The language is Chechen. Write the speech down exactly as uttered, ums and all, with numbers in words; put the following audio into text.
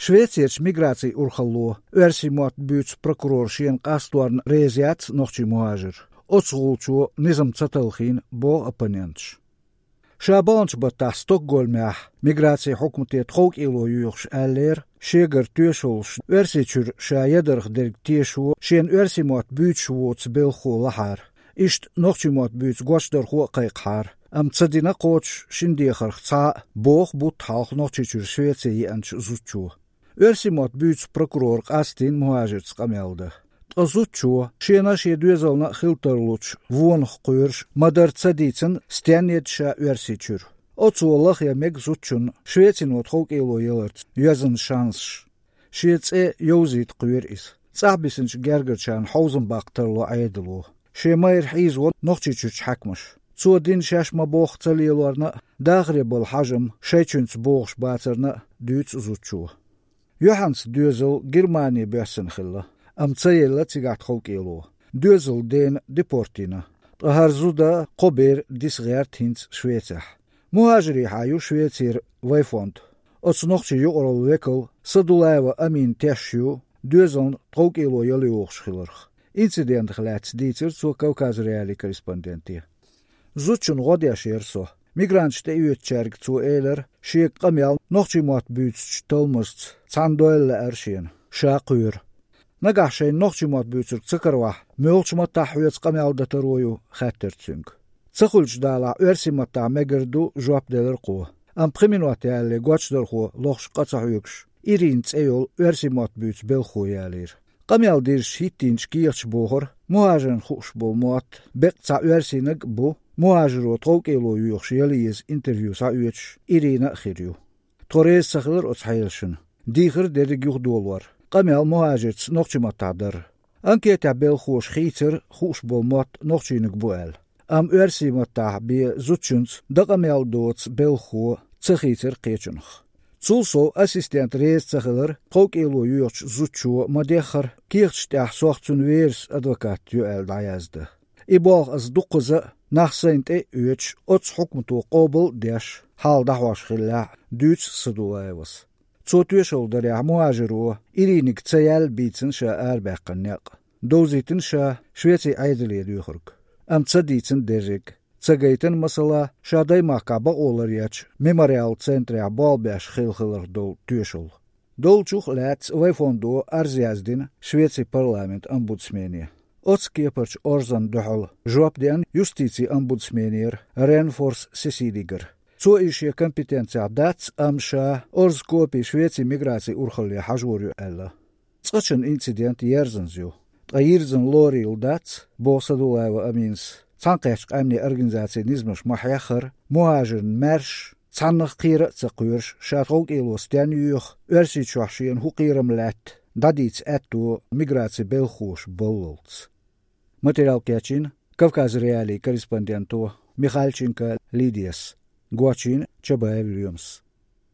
Швецерчу миграцин урхалло оьрсийн мотт буьйцу прокурор шена къасторна реза яц нохчийн мухӀажир. Оцу гӀулчо низам ца талхийна, боху оппоненташа. Ша баханчу баттахь Стокгольмехь миграцин хьукмате тховкӀело йоьхуш аьллера, шегара тоьшаллаш Оьрсийчуьра ша ядарх дерг тешо, шена оьрсийн мотт буьйцуш воцу белхахо лахьара. Иштта нохчийн мотт буьйцу гочдархо а кхайкхахьара, амма ца дина кхочуш шина дехарх цхьа а, боху бутт хьалха Нохчийчуьра Швеце еанчу зудчо. Оьрсийн мотт буьйцу прокурора къастийна мухӀажирца къамел дан. Ткъа зудчо, шена а, шен доьзална а хила тарлучу вонах кхоьруш, ма-дарра ца дийцина, стенна еда ша Оьрсийчуьра. Оцо лахъян мега зудчунна Швецино тховкӀело яларца йоьзна шансаш. Шен цӀе йовзийта кхоьру иза. ЦӀахь бисинчу гергарчарна хьовзам баккха тарло Ӏедало. Шен майра хьийзаво Нохчийчуьрчу хьаькамаша. Цо дина шаьш ма-бохху ца лелорна а, дахаре болу хьажам шайчуьнца богӀуш бацарна а дуьйцу зудчо. Юьхьанца доьзал Германе боьссина хилла, амма ца елла цигахь тховкӀело. Доьзалан дена депорт йина. Ткъа хӀара зуда, кхо бер диса гӀерта хӀинца Швецехь. МухӀажирехьа ю Швецера Вайфонд. Оцу нохчийн юкъараллин векал Садулаева Амин тешаш ю доьзална тховкӀело яла йогӀуш хиларх. Инцидентах лаьцна дийцира цо Кавказ.Реалии корреспонденте. Зудчунна гӀо деш яра со. Мигранташна тӀеоьцучаьрга цо элира, шега къамел нохчийн мотт буьйцучу талламашца цхьаьна дойла лаьара шена, ша кхоьру. Нагахь шайна нохчийн мотт буьйцург ца каравахь, муьлхачу маттахь хьоьца къамел дан таро ю, хаьттира цуьнга. Ца хуьлучу далахь, оьрсийн маттахь мегар ду, жоп делира кхо. Амма пхи минот ялале гочдархо, лохуш къа ца хьоьгуш, Ирина цӀе йолу оьрсийн мотт буьйцу белхахо ялийра. Къамел дирзича хӀиттийначу кехаташа бохура, мухӀажирна хууш болу мотт беккъа цхьа оьрсийнаг а бу, мухӀажиро тховкӀело йоьхуш яла еза интервью схьаоьцуш Ирина а хир ю. Тхо реза ца хилира оцу хьелашна. Дийхира дерриг юхадолор, къамел мухӀажирца нохчийн маттахь дар. Анкетехь белхахоша хийцира, хууш болу мотт нохчийнаг бу аьлла. Амма оьрсийн маттахь бен зудчуьнца дан къамел доцу белхахо ца хийцира кхечунах. Цул сов ассистент реза ца хилира, тховкӀело йоьхучу зудчо ма-деххара, кехаташ тӀехь сох цуьнан верас адвокат ю аьлла дӀаяздан. И болх аса дуккхаза а, нах сайна тӀе а оьцуш, оцу хьукмато къобал а деш, хьал дӀахьош хиллехь, дуьйцу Садулаевас. Цо тоьшалла дарехь, мухӀажиро Ириниг ца яьлла бийцина ша арабаьккхина некъ. Довзийтина ша Швецин Ӏедале доьхург. Амма ца дийцина дерриг. Ца гайтина, масала, ша Даймахкахь бакъо ларъечу Мемориал центрехь болх беш хилла хиларх долу тоьшалла. Долчух а лаьцна Вайфондо арз яздина Швецин парламентан омбудсмене. Оцу кепарчу орзанна дуьхьал жоп деана юстицин омбудсменера Ренфорс Сесилигара. Цо иза шен компетенцехь дац, амма ша орзан копи Швецин миграцин урхалле хьажор ю аьлла. Цкъачунна инцидент ерзанза ю. Ткъа йирзина лорийла дац, боху Садулаева Аминас, цхьаьнакхеттачу къаьмнийн организацийн низамаш ма-хьеххара, мухӀажирна маьрша, цхьаннах кхера а ца кхоьруш, ша тховкӀело стенна йоьху, Оьрсийчохь шена хӀун кхерам лаьтта, дӀадийца аьтто миграцин белхахоша баллалц. Материал кечйина Кавказ.Реалии корреспонденто Михальченко Лидияс, гочйина Чабаев Лоьмас.